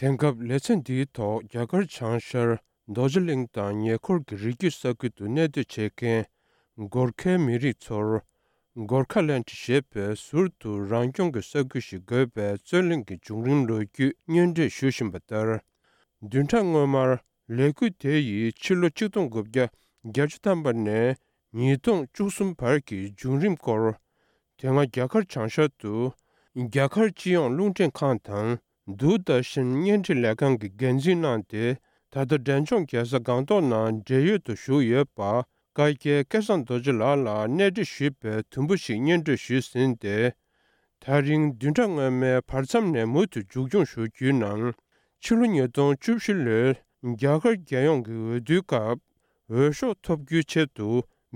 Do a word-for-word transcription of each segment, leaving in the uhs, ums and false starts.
དེང་སྐབས་ལེ་ཚན་འདིའི་ཐོག་རྒྱ་གར་བྱང་ཤར་རྡོ་རྗེ་གླིང་དང་ཉེ་འཁོར་གྱི་རི་རྒྱུད་ས་ཁུལ་དུ་གནས་སྡོད་བྱེད་མཁན་གོར་ཁའི་མི་རིགས་ཚོར་གོར་ཁ་ལེནཌ་ཞེས་པའི་ཟུར་དུ་རང་སྐྱོང་གི་ས་ཁུལ་ཞིག་དགོས་པའི་རྩོད་གླེང་གི་བྱུང་རིམ་ལོ་རྒྱུས་སྙན་སྒྲོན་ཞུ་བཞིན་པ་ལྟར། བདུན་ཕྲག་སྔོན་མར་ལས་འགུལ་དེ་ཡིས་ཕྱི་ལོ་ཆིག་སྟོང་དགུ་བརྒྱ་བརྒྱད་ཅུ་ཐམ་པ་ནས་ཉིས་སྟོང་བཅུ་གསུམ་བར་གྱི་བྱུང་རིམ་སྐོར། དེ་སྔ་རྒྱ་གར་བྱང་ཤར་དུ་རྒྱ་གར་སྤྱི་ཡོངས་རླུང་འཕྲིན་ཁང་དང་དུར་དར་ཤན་བརྙན་འཕྲིན་ལས་ཁང་གི་འགན་འཛིན་གནང་སྟེ། ད་ལྟ་འབྲས་ལྗོངས་རྒྱལ་ས་སྒང་ཏོག་ནང་འབྲེལ་ཡོད་དུ་བཞུགས་ཡོད་པ་བཀའ་བརྒྱད་སྐལ་བཟང་རྡོ་རྗེ་ལགས་ལ་གནས་འདྲི་ཞུས་པའི་དུམ་བུ་ཞིག་སྙན་སྒྲོན་ཞུས་ཟིན་ཏེ། དེ་རིང་བདུན་ཕྲག་སྔོན་མའི་བར་མཚམས་ནས་མུ་མཐུད་མཇུག་སྐྱོང་ཞུ་རྒྱུའི་ནང་། ཕྱི་ལོ་ཉིས་སྟོང་བཅུ་བཞི་ལོའི་རྒྱ་གར་རྒྱལ་ཡོངས་ཀྱི་འོས་བསྡུའི་སྐབས། འོས་ཤོག་ཐོབ་རྒྱུའི་ཆེད་དུ་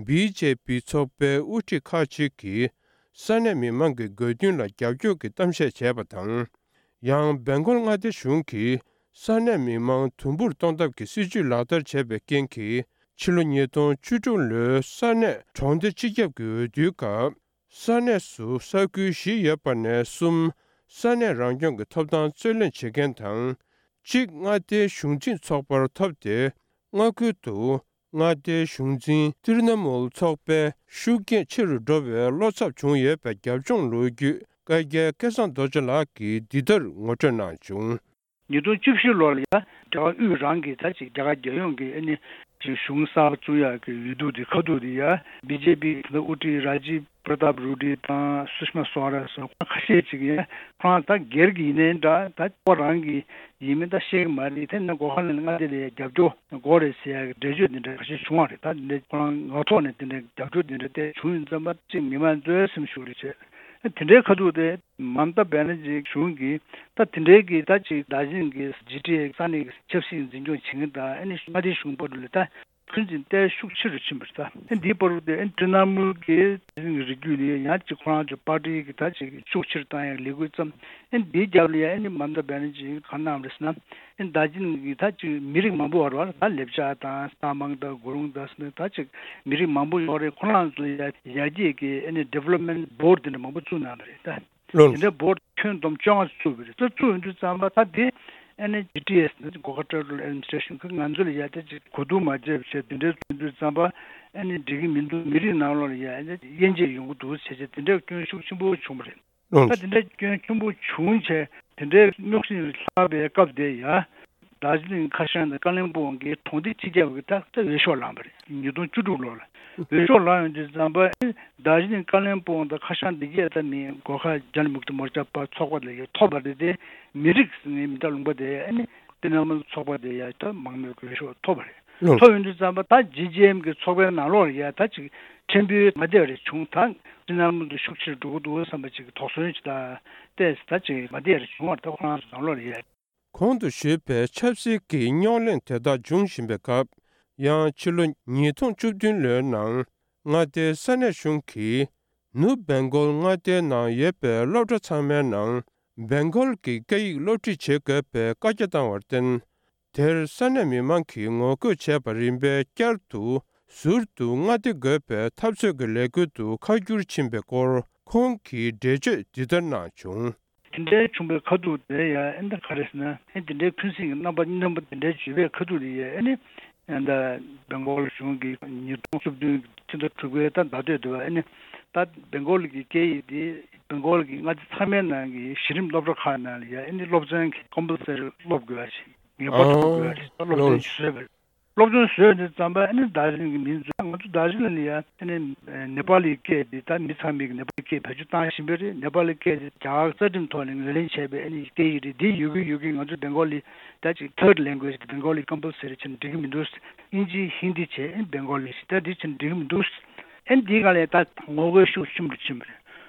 བི་ཇེ་པི་ཚོགས་པའི་དབུ་ཁྲིད་ཁག་ཅིག་གིས་ས་གནས་མི་མང་གི་དགོས་འདུན་ལ་རྒྱབ་སྐྱོར་གྱི་གཏམ་བཤད་བྱས་པ་དང་། ཡང་སྦེང་གོལ་མངའ་སྡེ་གཞུང་གིས་ས་གནས་མི་མང་དུམ་བུར་གཏོང་ཐབས་ཀྱི་སྲིད་ཇུས་ལག་བསྟར་བྱས་པའི་རྐྱེན་གྱིས། ཕྱི་ལོ་ཉིས་སྟོང་བཅུ་དྲུག་ལོའི་ས་གནས་གྲོང་སྡེ་སྤྱི་ཁྱབ་ཀྱི་འོས་བསྡུའི་སྐབས། ས་གནས་སུ་ས་ཁུལ་བཞི་ཡོད་པ་ནས་གསུམ་ས་གནས་རང་སྐྱོང་གི་ཐོབ་ཐང་རྩོད་ལེན་བྱེད་མཁན་དང་། གཅིག་མངའ་སྡེའི་གཞུང་འཛིན་ཚོགས་པར་ཐོབ་སྟེ། མངའ་ཁུལ་དུ་མངའ་སྡེའི་གཞུང་འཛིན་ཏིར་ན་མུལ་ཚོགས་པའི་ཤུགས་རྐྱེན་ཆེ་རུ་འགྲོ་བའི་བློ་འཚབ་བྱུང་ཡོད་པའི་རྒྱབ་ལྗོངས་ལོ་རྒྱུས་བཀའ་རྒྱལ་སྐལ་བཟང་རྡོ་རྗེ་ལགས་ཀྱིས་འདི་ལྟར་ངོ་སྤྲོད་གནང་བྱུང་། ཉིས་སྟོང་བཅུ་བཞི་ལོར་ཡ་རྒྱ་གར་དབུས་རང་གི་ད་ཅིག་རྒྱ་གར་རྒྱལ་ཡོངས་ཀྱི་ཨ་ནི་ཅིག་གཞུང་གསར་པ་བཙུགས་ཡག་གི་འོས་བསྡུ་དེ་ཁ་ཐུག་དེ་ཡ་བི་ཇེ་པི་དེ་དབུ་ཁྲིད་ར་ཇིབ་པྲ་ཏབ་རུ་ཌི་དང་སུ་ཤི་མ་སུ་ཝ་ར་སོགས་ཁ་ཤས་ཅིག་ཡ་ཁོ་རང་ད་སྒེར་གྱི་ཡིན་ནའི་འདྲ་ད་ཁོ་རང་གི་ཡིན་མིན་ད་ཤེས་ཀྱི་མ་རེད། དེ་ནི་སྒོ་ཁ་ལ་མངའ་སྡེ་ལ་ཡ་རྒྱབ་སྐྱོར་དགོས་རེད་ཟེར་ཡག་གི་འགྲེལ་བརྗོད་དེ་འདྲ་ཁ་ཤས་བྱུང་བ་རེད། ད་འདི་འདྲ་ཁོ་རང་ངག་ཐོག་ནས་དེ་འདྲ་རྒྱབ་སྐྱོར་དེ་འདྲ་དེ་བྱུང་ཡོད་ཙམ་པ་ཅིག་མི་མང་ཚོའི་སེམས་ཤུགས་རེད་བྱས། དེ་འདྲའི་ཁ་ཐུག་དེ་མམ་ཏཱ་བྷེ་ནར་ཇི་གཞུང་གིས་ད་དེ་འདྲའི་གི་ད་ཅིག་ད་ཅིག་གི་ཇི་ཊི་ཨེ་ས་གནས་ཀྱི་ཆབ་སྲིད་འཛིན་སྐྱོང་བྱེད་མཁན་དང་ཨ་ནི་མངའ་སྡེ་གཞུང་བར་དུ་ལ་ད་འཁོན་འཛིན་ཏོག་ཙམ་ཤུགས་ཆེ་རུ་ཕྱིན་པ་རེད། ད་ཨ་འདིའི་བར་དུ་ཨ་ཏྲི་ན་མུལ་གྱི་རིགས་རྒྱུད་ལ་ཡང་ཅིག་ཁོ་རང་ཚོ་པར་ཊི་གི་ད་ཅིག་ཤུགས་ཆེ་རུ་བཏང་ཡག་ལས་འགུལ་བརྩམས། ཨ་འདིའི་རྒྱབ་ལ་ཡང་ཨ་ནི་མམ་ཏཱ་བྷེ་ནར་ཇི་གིས་གང་གནང་བ་རེད་ཟེར་ན། ཨ་ནི་དར་ཇི་ལིང་གི་ད་ཅིག་མི་རིགས་མང་པོ་བར་བར་ད་ལེབ་ཅ་དང་སྟག་མང་དང་གུ་རུང་དང་ཟེར་ནས་ད་ཅིག་མི་རིགས་མང་པོ་ཡོད་རེད། ཁོ་རང་ཚོ་ཡར་ཡར་རྒྱས་ཀྱི་ཨ་ནི་ཌི་ཝེ་ལོབ་མེན་ཊི་བྷོར་ཌི་དེ་འདྲ་མང་པོ་བཙུགས་གནང་བ་རེད་ད། ལོ། དེ་འདྲའི་བྷོར་ཌི་ཁྱོན་བསྡོམས་བཅོ་ལྔ་བཙུགས་པ་རེད། ད་བཙུགས་ཡོང་དུས་ཙམ་པ་ད་དེ་ཨ་ནི་ཇི་ཊི་ཨེ་སི་ནི་གོ་ཁ་ཊེ་རི་ཊོ་རི་ཡལ་ཨེཌ་མི་ནི་སི་ཊེ་ཤན་གྱིས་ང་ཚོ་ལ་ཡ་དེ་ཅིག་གོ་བསྡུར་མ་བྱས་པ་བྱས་དེ་འདྲའི་བཙུགས་དུས་ཙམ་པ་ཨ་ནི་འགྲིག་གི་མི་འདུག་མི་རིགས་ནང་ལོགས་ལ་ཡ་ཨ་ནི་དབྱེ་འབྱེད་ཡོང་གི་འདུག་བྱས་བྱས་དེ་འདྲའི་སྐྱོན་ཤུགས་ཆེན་པོ་བྱུང་བ་རེད། ལོ། ད་དེ་འདྲའི་སྐྱོན་ཆེན་པོ་བྱུང་བྱས་དེ་འདྲའི་རྙོག་ཟིང་ལྷགས་པའི་སྐབས་དེ་ཡ། དར་ཇི་ལིང་ཁ་ཤང་དང་ཀ་ལིང་སྤུང་གི་གྲོང་སྡེ་སྤྱི་ཁྱབ་ཀྱི་ད་ལྟ་འོས་ཤོག་བླངས་པ་རེད། ཉིས་སྟོང་བཅུ་དྲུག་ལོ་ལ་འོས་ཤོག་བླངས་ཡོང་དུས་ཙམ་པ་ཨེ་དར་ཇི་ལིང་ཀ་ལིང་སྤུང་དང་ཁ་ཤང་འདི་གས་ད་མི་གོར་ཁ་ཇན་མུཀ་ཏི་མོར་ཅ་པ་ཚོགས་པ་ལ་ཡོད་ཐོབ་པ་རེད་དེ། མི་རིགས་ངའི་མི་རྟག་ལུང་པ་དེ་ཨ་ནི་ཏི་ན་མུལ་ཚོགས་པ་དེ་ཡ་ད་མང་མོས་ཀྱི་འོས་ཤོག་ཐོབ་པ་རེད། ལོ། ཐོབ་ཡོང་དུས་ཙམ་པ་ད་ཇི་ཇི་ཨེམ་གི་ཚོགས་པའི་ནང་ལོགས་ལ་ཡ་ད་ཅིག་ཕྲན་བུའི་མ་བདེ་བ་རེ་བྱུང་། ད་ཏི་ན་མུལ་དུ་ཤུགས་ཆེར་འགྲོ་གི་འདུག་བསམ་པ་ཅིག་དོགས་ཟོན་ཅིག་ད་ཏེས་ད་ཅིག་མ་བདེ་བ་རེ་བྱུང་བ་རེད། ད་ཁོ་རང་ཚོ་ནང་ལོགས་ལ་ཡ། གོང་དུ་ཞུས་པའི་ཆབ་སྲིད་ཀྱི་རྙོག་གླེང་དེ་དག་འབྱུང་བཞིན་པའི་སྐབས། ཡང་ཕྱི་ལོ་ཉིས་སྟོང་བཅུ་བདུན་ལོའི་ནང་མངའ་སྡེའི་ས་གནས་གཞུང་གིས་ནུབ་སྦེང་གོལ་མངའ་སྡེའི་ནང་ཡོད་པའི་སློབ་གྲྭ་ཚང་མའི་ནང་སྦེང་གོལ་གྱི་སྐད་ཡིག་སློབ་ཁྲིད་བྱེད་དགོས་པའི་བཀའ་རྒྱ་བཏང་བར་བརྟེན། དེར་ས་གནས་མི་མང་གིས་ངོ་རྒོལ་བྱས་པ་རིམ་པས་བསྐྱར་དུ་ཟུར་དུ་མངའ་སྡེ་དགོས་པའི་འཐབ་རྩོད་ཀྱི་ལས་འགུལ་དུ་ཁ་བསྒྱུར་ཕྱིན་པའི་སྐོར་ཁོང་གིས་འགྲེལ་བརྗོད་འདི་ལྟར་གནང་བྱུང་། དེ་འདྲའི་བྱུང་བའི་ཁ་ཐུག་དེ་ཡང་ཨེ་འདྲ་ག་རེ་ཟེར་ན་ཨེ་དེ་འདྲའི་འཁོན་འཛིན་གྱི་རྣམ་པ་རྣམ་པ་དེ་འདྲའི་བརྗོད་པའི་ཁ་ཐུག་དེ་ཡང་ཨེ་ནི་ཨེ་འདྲ་སྦེང་གོལ་གཞུང་གིས་ཉིས་སྟོང་བཅུ་བདུན་ཕྱི་ཟླ་དྲུག་པའི་ད་ཟླ་སྟོད་དུ་ཨེ་ནི་ད་སྦེང་གོལ་གྱི་སྐད་ཡིག་དེ་སྦེང་གོལ་གྱི་མངའ་སྡེ་ཚང་མའི་ནང་གི་གཞི་རིམ་སློབ་གྲྭ་ཁག་ནང་ལ་ཡང་ཨེ་ནི་སློབ་ཚན་གྱི་ཀམ་པལ་སེ་རི་སློབ་དགོས་པ་ཞིག་ངེས་པར་དུ་དགོས་པ་ཞིག་སློབ་ཚན་ཞིག་བཟོས་པ་རེད། སློབ་སྦྱོང་བཟོས་དུས་ཙམ་པ་ཨ་ནི་དར་ཇི་ལིང་གི་མི་ཚོས་ང་ཚོ་དར་ཇི་ལིང་ལ་ཡ་ཨ་ནི་ནེ་པ་ལི་སྐད་འདི་ད་མི་ཚང་མས་ནེ་པ་ལི་སྐད་བེད་སྤྱོད་བཏང་བཞིན་པ་རེད། ནེ་པ་ལི་སྐད་འདི་རྒྱ་གར་རྩ་ཁྲིམས་ཐོག་ནས་ངོས་ལེན་བྱས་པའི་ཨ་ནི་སྐད་ཡིག་རེད། འདི་ཡོད་གི་ཡོད་གི་ང་ཚོ་སྦེང་གོ་ལི་ད་ཅིག་ཐར་ཌི་ལེང་གུ་ཨེ་ཇི་སྦེང་གོ་ལི་ཀམ་པལ་སེ་རི་བྱས་ན་འགྲིག་གི་མི་འདུག་ཨིན་ཇི་ཧིན་དི་བྱས་ཨ་ནི་སྦེང་གོ་ལི་ཞིག་ད་འདི་བྱས་ན་འགྲིག་གི་མི་འདུག་ཨ་ནི་འདི་ག་ལས་ད་ངོ་རྒོལ་ཤུགས་ཆེན་པོ་ཕྱིན་པ་རེད།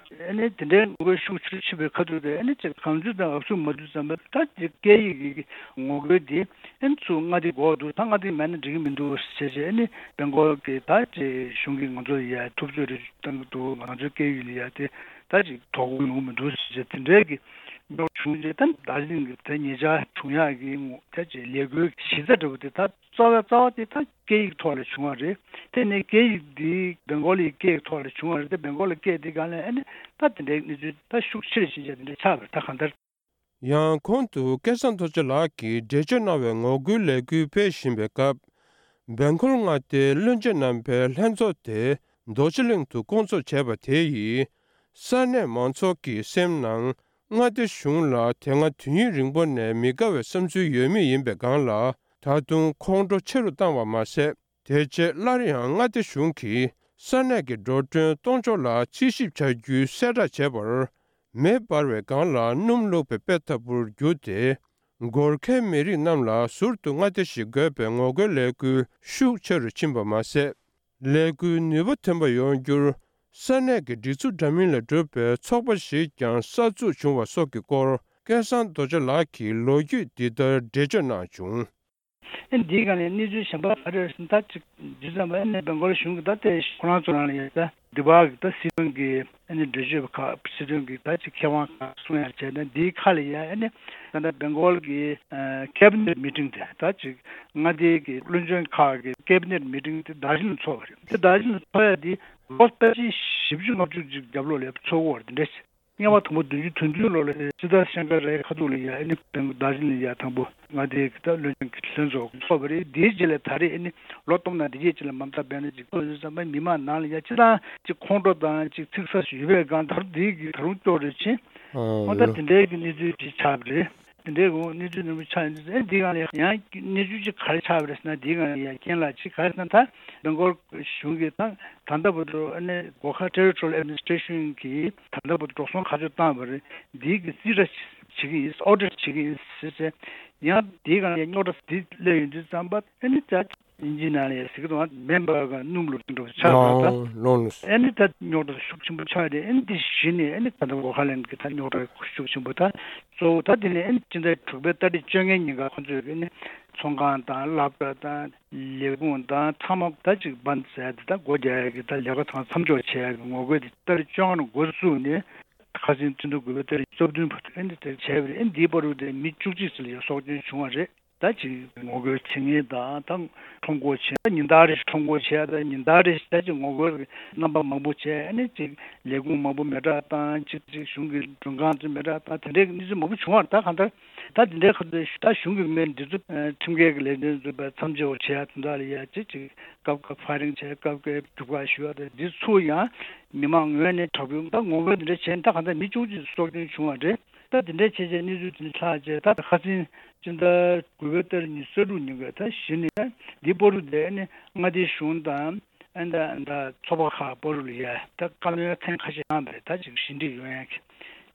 ཨ་ནི་དེ་འདྲའི་ངོ་རྒོལ་ཤུགས་ཆེར་ཕྱིན་པའི་ཁ་ཐུག་དེ་ཨ་ནི་ཅིག་གང་འཚམ་དང་ཨབ་སུ་མ་འདུག་བསམ་པ་ད་ཅིག་སྐད་ཡིག་གི་ངོ་རྒོལ་དེ་ཨ་ནི་ཚུར་མངའ་སྡེ་འགོག་འདུག་ད་མངའ་སྡེ་མེད་ན་འགྲིག་གི་མི་འདུག་ཟེར་བྱས་ཨ་ནི་སྦེང་གོལ་གྱི་ད་ཅིག་གཞུང་གིས་ང་ཚོ་ཡ་ཐུབ་ཚོད་རེ་བཏང་གི་འདུག་ང་ཚོའི་སྐད་ཡིག་ལ་ཡ་དེ་ད་ཅིག་དོ་ཁུར་ཡོང་གི་མི་འདུག་ཟེར་བྱས་དེ་འདྲའི་གི་རྙོག་བྱུང་རྗེས་ད་དར་ལིང་གི་དེ་ཉེ་ཆར་བྱུང་ཡག་གི་ད་ཅིག་ལས་འགུལ་གཞི་རྩ་འདྲ་བོ་དེ་ད། རྩ་བའི་རྩ་བ་དེ་ད་སྐད་ཡིག་ཐོག་ལ་བྱུང་བ་རེད། དེ་ནས་སྐད་ཡིག་འདི་སྦེང་གོ་ལི་སྐད་ཡིག་ཐོག་ལ་བྱུང་བ་རེད། དེ་སྦེང་གོ་ལི་སྐད་འདི་སྒང་ལ་ཨ་ནི་ད་དེ་འདྲའི་གནས་ཚུལ་ད་ཤུགས་ཆེ་རུ་ཕྱིན་བྱས་དེ་འདྲ་ཆགས་པ་རེད། ད་གང་ལྟར། ཡང་གོང་དུ་སྐལ་བཟང་རྡོ་རྗེ་ལགས་ཀྱིས་འགྲེལ་བརྗོད་གནང་བའི་ངོ་རྒོལ་ལས་འགུལ་སྤེལ་བཞིན་པའི་སྐབས། སྦེང་གོལ་མངའ་སྡེའི་བློན་ཆེན་རྣམ་པའི་ལྷན་ཚོགས་དེ་རྡོ་རྗེ་གླིང་དུ་བསྐོང་ཚོགས་བྱས་པ་དེ་ཡིས། ས་གནས་མང་ཚོགས་ཀྱི་སེམས་ནང་མངའ་སྡེ་གཞུང་ལ་དེ་སྔ་དུས་ཡུན་རིང་པོ་ནས་མི་དགའ་བའི་བསམ་ཚུལ་ཡོད་མུས་ཡིན་པའི་སྒང་ལ། ད་དུང་ཁོང་ཁྲོ་ཆེ་རུ་བཏང་བ་མ་ཟད། དེ་རྗེས་སླར་ཡང་མངའ་སྡེ་གཞུང་གིས་ས་གནས་ཀྱི་འགྲོ་གྲོན་གཏོང་ཕྱོགས་ལ་རྩིས་ཞིབ་བྱ་རྒྱུའི་གསལ་བསྒྲགས་བྱས་པར། མེ་འབར་བའི་སྒང་ལ་སྣུམ་བླུགས་པའི་དཔེ་ལྟ་བུར་གྱུར་ཏེ། སྒོར་ཁའི་མི་རིགས་རྣམས་ལ་ཟུར་དུ་མངའ་སྡེ་ཞིག་དགོས་པའི་ངོ་རྒོལ་ལས་འགུལ་ཤུགས་ཆེ་རུ་ཕྱིན་པ་མ་ཟད། ལས་འགུལ་ནུས་པ་ཐོན་པ་ཡོང་རྒྱུར། ས་གནས་ཀྱི་སྒྲིག་འཛུགས་འདྲ་མིན་ལས་གྲུབ་པའི་ཚོགས་པ་ཞིག་ཀྱང་གསར་འཛུགས་བྱུང་བ་སོགས་ཀྱི་སྐོར། སྐལ་བཟང་རྡོ་རྗེ་ལགས་ཀྱིས་ལོ་རྒྱུས་འདི་ལྟར་འགྲེལ་བརྗོད་གནང་བྱུང་། ཨེ་འདིའི་སྒང་ནས་གནས་ཚུལ་གཞན་པ་ག་རེ་རེད་ཟེར་ན། ད་ཅིག་འདི་ཙམ་པ་ཨེ་ནས་སྦེང་གོལ་གཞུང་གི་ད་ལྟའི་ཁོ་རང་ཚོ་རང་ལ་ཡོད་ད། འདི་བ་གི་ད་སྲིད་དོན་གྱི་ཨེ་ནས་འགྲེལ་བརྗོད་པ་ཁག་སྲིད་དོན་གྱི་ད་ཅིག་མཁས་དབང་ཁག་གསུང་ཡར་བྱས་ན། འདིའི་ཁ་ལ་ཡ་ཨེ་ནས་ད་ལྟ་སྦེང་གོལ་གྱི་ཨ་ཀེ་བི་ནེཊ་མི་ཊིང་དེ། ད་ཅིག་མངའ་སྡེ་གི་བློན་ཆེན་ཁག་གི་ཀེ་བི་ནེཊ་མི་ཊིང་དེ་རྡོ་རྗེ་གླིང་ཚོགས་པ་རེད། དེ་རྡོ་རྗེ་གླིང་ཚོགས་ཡ་དེ་ལོ་ཕལ་ཆེར་བཞི་བཅུ་ལྔ་བཅུ་ཅིག་རྒྱབ་ལོགས་ལ་ཚོགས་ཀྱི་ཡོད་རེད། དེ་འདྲ་ཞིག་སྔོན་མ་དང་པོ་བདུན་ཅུ་དོན་བདུན་ལོ་ལ་སྤྱི་ཟླ་ཤང་ཀ་རའི་ཁ་ཐུག་ལ་ཡ་ཨེ་ནི་སྦེང་རྡོ་རྗེ་གླིང་ལ་ཡ་དང་པོ་མངའ་སྡེ་གི་ད་བློན་ཆེན་གྱི་ལྷན་ཚོགས་ཚོགས་པ་རེད། དེའི་རྗེས་ལ་ད་རེས་ཨེ་ནི་ལོ་སྟོང་ན་དེ་རྗེས་ཅིག་ལ་མ་མཐའ་སྦས་ན་ཅིག་ཐོན་ཡོད་ཙམ་པ། མི་མང་ནང་ལ་ཡ་སྤྱི་བཏང་ཅིག་ཁོང་ཁྲོ་དང་ཅིག་ཚིག་ས་ཞིག་ཡོད་པའི་སྒང་ད་རུང་དེའི་གི་ད་རུང་སྐྱོ་རེ་ཕྱིན། ཨོ་ད་དེ་འདྲའི་གི་གནས་ཚུལ་ཅིག་ཆགས་པ་རེད། དེ་འདྲའི་གི་གནས་ཚུལ་འདྲ་པོ་ཆགས་ཡོང་དུས་ཨེ་འདིའི་སྒང་ལ་ཡང་གནས་ཚུལ་ཅིག་ག་རེ་ཆགས་པ་རེད་ཟེར་ན། འདིའི་སྒང་ལ་ཡ་རྐྱེན་ལ་ཅིག་ག་རེ་ཟེར་ན། ད་སྦེང་གོལ་གཞུང་གིས་ད་ད་ལྟ་བར་དུ་ཨ་ནི་སྒོ་ཁ་Territorial Administration གིས་ད་ལྟ་བར་དུ་འགྲོ་སོང་ག་ཚོད་བཏང་བ་རེད། འདིའི་གི་རྩིས་ཁྲ་བྱེད་ཀྱི་ཡིན། ཨོ་ཌིཊ་བྱེད་ཀྱི་ཡིན་ཟེར་བྱས། ཡང་འདིའི་སྒང་ལ་རྙོག་དྲ་འདི་སླེབས་ཡོང་དུས་ཙམ་པ་ཨ་ནི་ད་དབྱིན་ཇིའི་ནང་ལ་ཡ་ཟེར་གི་འདུག་མེ་འབར་ག་སྣུམ་བླུགས་འགྲོ་ཆགས་པ་ད། ལོང་ལོང་། ཨ་ནི་ད་རྙོག་དྲ་ཤུགས་ཆེན་པོ་ཆགས་རེད། ཨ་ནི་འདི་གཞི་ནས་ཨ་ནི་ད་ལྟ་སྒོ་ཁ་ལེན་གི་ད་རྙོག་དྲ་ཤུགས་ཆེན་པོ། ད་གཙོ་བོ་ད་དེ་ནས་ཨ་ནི་སྤྱི་ཟླ་དྲུག་པའི་ཏ་རིག་བཅོ་ལྔའི་ཉིན་ཀ་ཁོང་ཚོས་ཨ་ནི་ཚོང་ཁང་དང་སློབ་གྲྭ་དང་ལས་ཁུངས་དང་ཚང་མ་ད་ཅིག་བྷན་ཛ་བྱས་ཏེ། ད་སྒོ་རྒྱག་ཡ་གི་ད་ལས་ཀ་ཚང་མཚམས་འཇོག་བྱེད་ཡ་གི་ངོ་རྒོལ་དེ་ཏ་རིག་བཅོ་ལྔ་ནས་འགོ་བཙུགས་ནས་ཁ་སང་སྤྱི་ཟླ་དགུ་པའི་ཏ་རིག་བཅུ་བདུན་བར་དུ་ཨ་ནི་དེ་བྱས་པ་རེད། ཨ་ནི་འདིའི་བར་དུ་དེ་མི་བཅུ་གཅིག་ཙམ་ལ་ཡ་སྲོག་སྐྱོན་བྱུང་བ་རེད། ད་ཅིག་ངོ་རྒོལ་བྱེད་མཁན་དང་ད་ཁྲོམ་སྐོར་བྱེད། ད་ཉིན་ལྟར་རེ་ཞིག་ཁྲོམ་སྐོར་བྱེད། ད་ཉིན་ལྟར་རེ་ཞིག་ད་ཅིག་ངོ་རྒོལ་གྱི་རྣམ་པ་མང་པོ་བྱས། ཨ་ནི་ཅིག་ལས་ཁུངས་མང་པོ་མེ་སྲེག་བཏང་། ཅིག་ཅིག་གཞུང་གི་མགྲོན་ཁང་ཚོ་མེ་སྲེག་བཏང་། དེ་འདྲའི་གནས་ཚུལ་མང་པོ་བྱུང་བ་རེད། ད་གང་ལྟར་ད་དེ་འདྲའི་ཁ་ཐུག་ད་གཞུང་གི་མི་འདི་ཚོ་ཁྲིམས་འགལ་གྱི་ལས་དོན་ཚོ་བས་མཚམས་འཇོག་བྱེད་ཡ་དེ་འདྲ་ལ་ཡ་ཅིག་ཅིག་སྐབས་སྐབས་ཕ་ཡ་རིང་བྱས། སྐབས་སྐབས་རྒྱུག་པ་ཞུ་ཡ། ད་འདི་ཚོ་ཡང་མི་མང་ངོས་ནས་དྲག་པོའི་ད་ངོ་རྒོལ་འདི་འདྲ་བྱས། ད་གང་ལྟར་མི་བཅུ་གཅིག་སྲོག་སྐྱོན་བྱུང་བ་རེད། ད་དེ་འདྲའི་ཆེ་ཆེ་གནས་ཚུལ་དེ་འདྲ་ཆགས་རྗེས། ད་ཁ་སང་སྤྱི་ཟླ་དགུ་པའི་ཏ་རིག་ཉི་ཤུ་རྩ་དྲུག་ཉིན་ཀ་ད་གཞི་ནས་འདི་བར་དུ་དེ་ནི་མངའ་སྡེའི་གཞུང་དང་ཨ་ད་ད་ཚོགས་པ་ཁག་བར་ལ་ཡ་ད་བཀའ་མོལ་ཐེངས་ཁ་ཤས་གནང་བ་རེད། ད་ཅིག་ཞི་འགྲིག་ཡོང་ཡ་གི།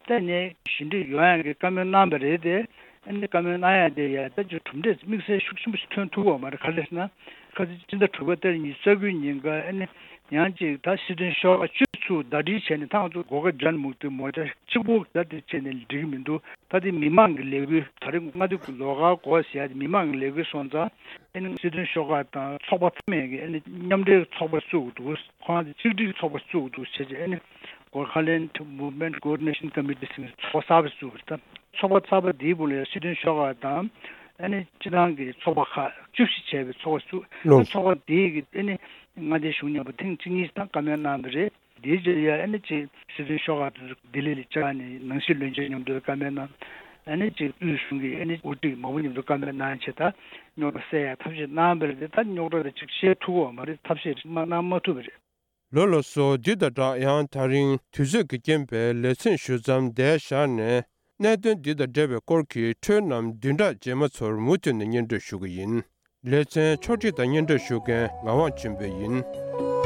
ད་ནས་ཞི་འགྲིག་ཡོང་ཡ་གི་བཀའ་མོལ་གནང་བ་རེད་དེ། ཨ་ནི་བཀའ་མོལ་གནང་ཡ་དེ་ཡ་ད་ཅིག་གྲུབ་འབྲས་དམིགས་བསལ་ཤུགས་ཆེན་པོ་ཞིག་ཐོན་ཐུབ་ཡོད་མ་རེད། ག་རེ་ཟེར་ན། ཁ་སང་སྤྱི་ཟླ་དྲུག་པའི་ཏ་རིག་ཉི་ཤུ་རྩ་དགུའི་ཉིན་ཀ་ཨ་ནི་ཡང་ཅིག་ད་སྲིད་དོན་ཤོག་ཁག་བཅུ་ཚུར་ཟླ་སྒྲིལ་བྱས་ནས། ད་ང་ཚོ་སྒོ་ཁ་ཇན་མུག་ཏི་མོར་ཅ་གཅིག་པོ་ད་དེ་བྱས་ནས་འགྲིག་གི་མི་འདུག་ད་དེ་མི་མང་གི་ལས་འགུལ། ད་རེས་མངའ་སྡེ་གི་ལོགས་ཀ་སྒོ་ཟེར་ཡ་དེ་མི་མང་གི་ལས་འགུལ་སོང་ཙང་། ཨ་ནི་སྲིད་དོན་ཤོག་ཁག་དང་ཚོགས་པ་ཚང་མས་ཀྱི་ཨ་ནི་མཉམ་འབྲེལ་ཚོགས་པ་བཙུགས་འདུག་ཁོ་རང་ཚོ་གཅིག་སྒྲིལ་ཚོགས་པ་བཙུགས་འདུག་བྱས་རྗེས་ཨ་ནི་Goraland Movement Coordination Committee ཟེར་ནས་ཚོགས་པ་གསར་པ་བཙུགས་པ་རེད། ད་ཚོགས་པ་གསར་པ་འདིའི་སྦུག་ལ་ཡང་སྲིད་དོན་ཤོག་ཁག་དང་ཨ་ནི་སྤྱི་བཏང་གི་ཚོགས་པ་ཁག་བཅུ་བཞི་བྱས་པའི་ཚོགས་པ་བཙུགས། ཨ་ནི་ཚོགས་པ་འདིའི་གི་ཨ་ནི་མངའ་སྡེའི་གཞུང་མཉམ་པོ་ཐེངས་གཅིག་གཉིས་དང་བཀའ་མོལ་གནང་བ་རེད། དེའི་རྗེས་ལ་ཡ་ཨ་ནི་ཅིག་སྲིད་དོན་ཤོག་ཁག་དེ་ཚོ་ལྡི་ལི་ལ་བཅར་ནས་ནང་སྲིད་བློན་ཆེན་མཉམ་དུ་བཀའ་མོལ་གནང་། ཨ་ནི་ཅིག་དབུས་གཞུང་གི་ཨ་ནི་དབུ་ཁྲིད་མང་པོ་མཉམ་དུ་བཀའ་མོལ་གནང་བྱས། ད་རྙོག་དྲ་སེལ་ཡ་ཐབས་ཤེས་གནང་བ་རེད་དེ། ད་རྙོག་དྲ་དེ་ཅིག་སེལ་ཐུབ་ཡོད་མ་རེད། ཐབས་ཤེས་མ་གནང་མ་ཐུབ་པ་རེད། ལགས་སོ། འདི་དང་སྦྲགས་ཡང་ད་རིང་དུས་ཚོད་ཀྱི་རྐྱེན་པས་ལེ་ཚན་ཞུ་མཚམས་འདིར་བཞག་ནས། གནད་དོན་འདི་དང་འབྲེལ་བའི་སྐོར་གྱི་འཕྲོས་རྣམས་བདུན་ཕྲག་རྗེས་མ་ཚོར་མུ་མཐུད་ནས་སྙན་སྒྲོན་ཞུ་གི་ཡིན། ལེ་ཚན་ཕྱོགས་སྒྲིག་དང་སྙན་སྒྲོན་ཞུ་མཁན་ངག་དབང་ཆོས་འཕེལ་ཡིན།